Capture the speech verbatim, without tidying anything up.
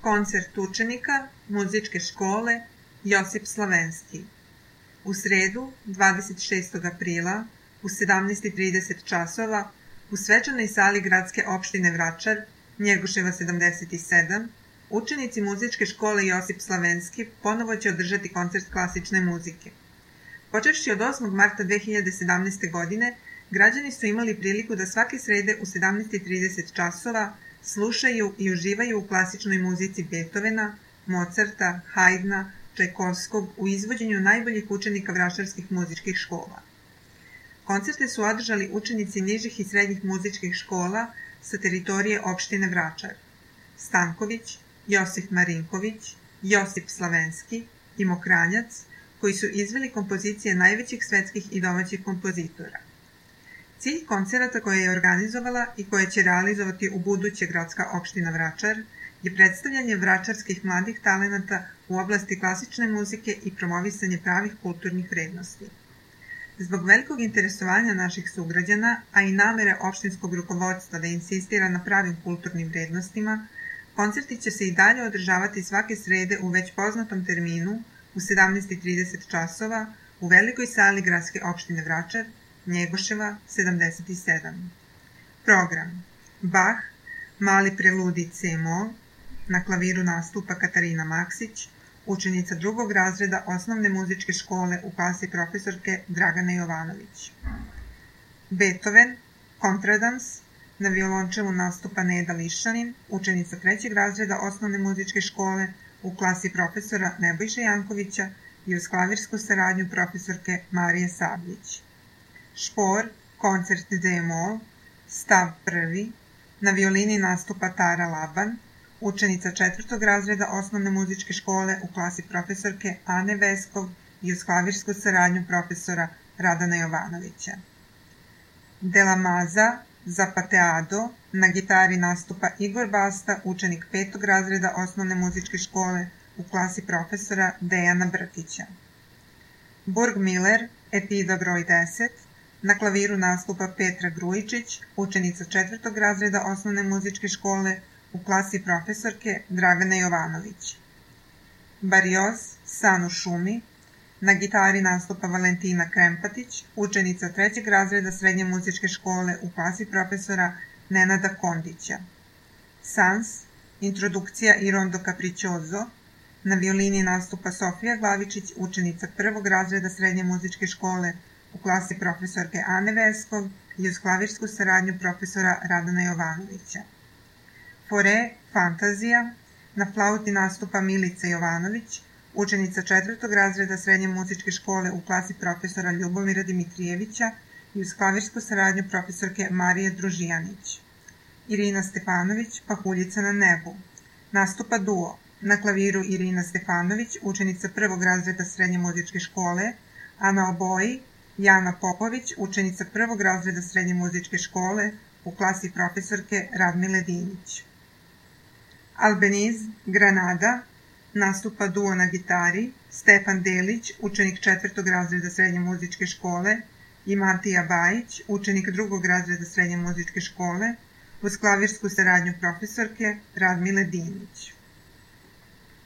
Koncert učenika Muzičke škole Josip Slavenski. U sredu, dvadeset šestog aprila, u sedamnaest i trideset časova, u svečanoj sali Gradske opštine Vračar, Njegoševa sedamdeset sedam, učenici Muzičke škole Josip Slavenski ponovo će održati koncert klasične muzike. Počevši od osmog marta dve hiljade sedamnaeste. godine, građani su imali priliku da svake srede u sedamnaest i trideset časova slušaju i uživaju u klasičnoj muzici Beethovena, Mozarta, Haydna, Čajkovskog u izvođenju najboljih učenika vračarskih muzičkih škola. Koncerte su održali učenici nižih i srednjih muzičkih škola sa teritorije opštine Vračar: Stanković, Josif Marinković, Josip Slavenski i Mokranjac, koji su izveli kompozicije najvećih svetskih i domaćih kompozitora. Cilj koncerata koje je organizovala i koje će realizovati u buduće Gradska opština Vračar je predstavljanje vračarskih mladih talenata u oblasti klasične muzike i promovisanje pravih kulturnih vrednosti. Zbog velikog interesovanja naših sugrađana, a i namere opštinskog rukovodstva da insistira na pravim kulturnim vrednostima, koncerti će se i dalje održavati svake srede u već poznatom terminu u sedamnaest i trideset časova u velikoj sali Gradske opštine Vračar, Njegoševa sedamdeset sedam. Program: Bach, Mali preludij C-mol, na klaviru nastupa Katarina Maksić, učenica drugog razreda osnovne muzičke škole u klasi profesorke Dragane Jovanović. Beethoven, kontradans, na violončelu nastupa Neda Lišanin, učenica trećeg razreda osnovne muzičke škole u klasi profesora Nebojše Jankovića i uz klavirsku saradnju profesorke Marije Sabljić. Špor, koncert D-mol, stav prvi, na violini nastupa Tara Laban, učenica četvrtog razreda osnovne muzičke škole u klasi profesorke Ane Veskov i uz klavirsku saradnju profesora Radana Jovanovića. De la Maza, Zapateado, na gitari nastupa Igor Basta, učenik petog razreda osnovne muzičke škole u klasi profesora Dejana Brkića. Burgmiller, etida broj deset, na klaviru nastupa Petra Grujičić, učenica četvrtog razreda osnovne muzičke škole u klasi profesorke Dragane Jovanović. Barioz, San u šumi, na gitari nastupa Valentina Krempatić, učenica trećeg razreda srednje muzičke škole u klasi profesora Nenada Kondića. Sans, introdukcija i rondo capriccioso, na violini nastupa Sofija Glavičić, učenica prvog razreda srednje muzičke škole u klasi profesorke Ane Veskov i uz klavirsku saradnju profesora Radana Jovanovića. Fore, fantazija, na flauti nastupa Milica Jovanović, učenica četvrtog razreda srednje muzičke škole u klasi profesora Ljubomira Dimitrijevića i uz klavirsku saradnju profesorke Marije Družijanić. Irina Stefanović, Pahuljica na nebu, nastupa duo, na klaviru Irina Stefanović, učenica prvog razreda srednje muzičke škole, a na oboji Jana Popović, učenica prvog razreda srednje muzičke škole u klasi profesorke Radmile Dinić. Albeniz, Granada, nastupa duo na gitari Stefan Delić, učenik četvrtog razreda srednje muzičke škole, i Matija Bajić, učenik drugog razreda srednje muzičke škole, uz klavirsku saradnju profesorke Radmile Dinić.